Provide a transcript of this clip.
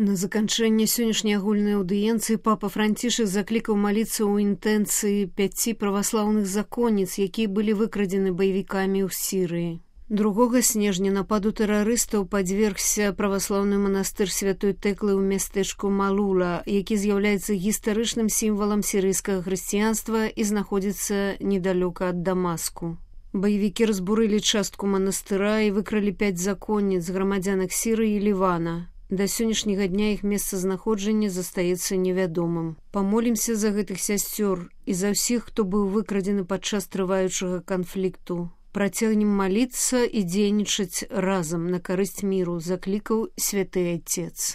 На заканчэнне сённяшняй агульнай аўдыенцыі папа Францішак заклікаў маліцца ў інтэнцыі 5 праваслаўных законніц, якія былі выкрадзены баевікамі ў Сірыі. 2 снежня нападу тэрарыстаў падвергся праваслаўны манастыр святой Тэклы ў мястэчку Малула, які з'яўляецца гістарычным сімвалам сірыйскага хрысціянства і знаходзіцца недалёка ад Дамаску. Баевікі разбурылі частку манастыра і выкралі 5 законніц, грамадзянак Сірыі і Лівана. Да сённяшняга дня іх месцазнаходжанне застаецца невядомым. Памолімся за гэтых сясцёр і за ўсіх, хто быў выкрадзены падчас трываючага канфлікту. Працягнем маліцца і дзейнічаць разам на карысць міру, заклікаў святы Отец.